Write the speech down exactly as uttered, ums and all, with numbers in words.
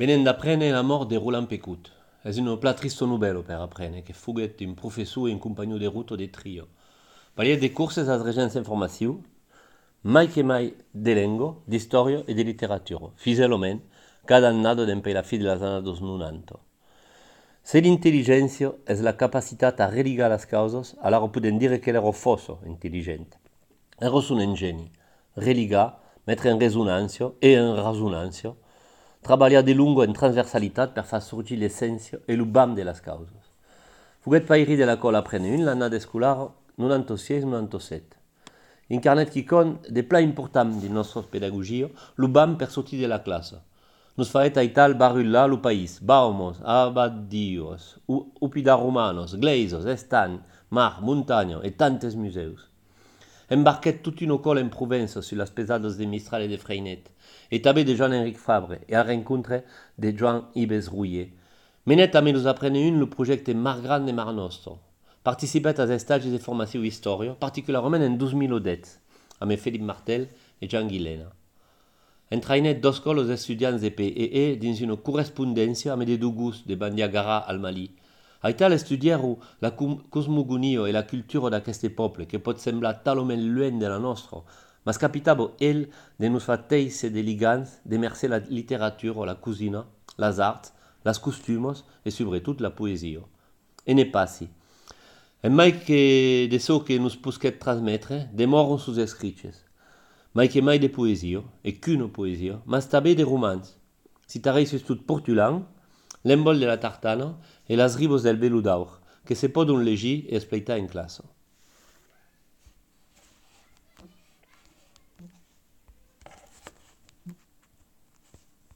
Venen d'apprendre la mort de Roland Pecut. Es una pla tristo novello per apprendre, che fuguet un professor e un compagnon de ruta de trio. Pariet de curses als regents informatius, mai che mai de lengo, d'historia e de literatura, fiselament, cada annado d'empei la fi de las annados nonanta. Se l'intelligència és la capacitat a religar les causes, allora podem dire que l'ero fosso intelligent. Ero un ingeni, religar, mettere in resonància e in resonància, treballar de lungo en transversalitat per far sorgir l'essència e l'ubam de les causes. Fuguet pairi de la cola aprene un l'annada escolar noranta-sis noranta-set. Incarnet qui con de pla important de nostra pedagogia, l'ubam per sortir de la classe. Nos faet aital barulla lo país, baumos, abadios, upida romanos, gleisos, estan, mar, montagna e tantes museus. Embarquet toute une cola en Provença sur las pesadas de Mistral et de Freinet, et també de Jean-Henrique Fabre, et a rencontre de Joan Ibes Rouillet. Menet també nos aprene un le projecte Mar Gran de Mar Nostro. Participet als estats de formació història, particularment en dos mil deu, amb Philippe Martel e Jean Guilena. Entrainet dos colos estudiants de P E E dins una correspondència amb de Dougous de Bandiagara al Mali. Aital estudiaru la cosmogonia e la cultura d'aqueste poble, que pot semblar talment lluny de la nostra, mas capitavo el de nos fa teisse de ligants de mercer la literatura, la cuisina, les arts, les costumes e sobretot la poesia. E ne passi. E mai que de so que nos pusquet transmetre, demoron sus escrits. Mai que mai de poesia, e qu'una poesia, mas també de romans. Citarei tot Portulan, l'embol de la tartana e las ribos del velo d'aur, que se podon legir e explicar en classe.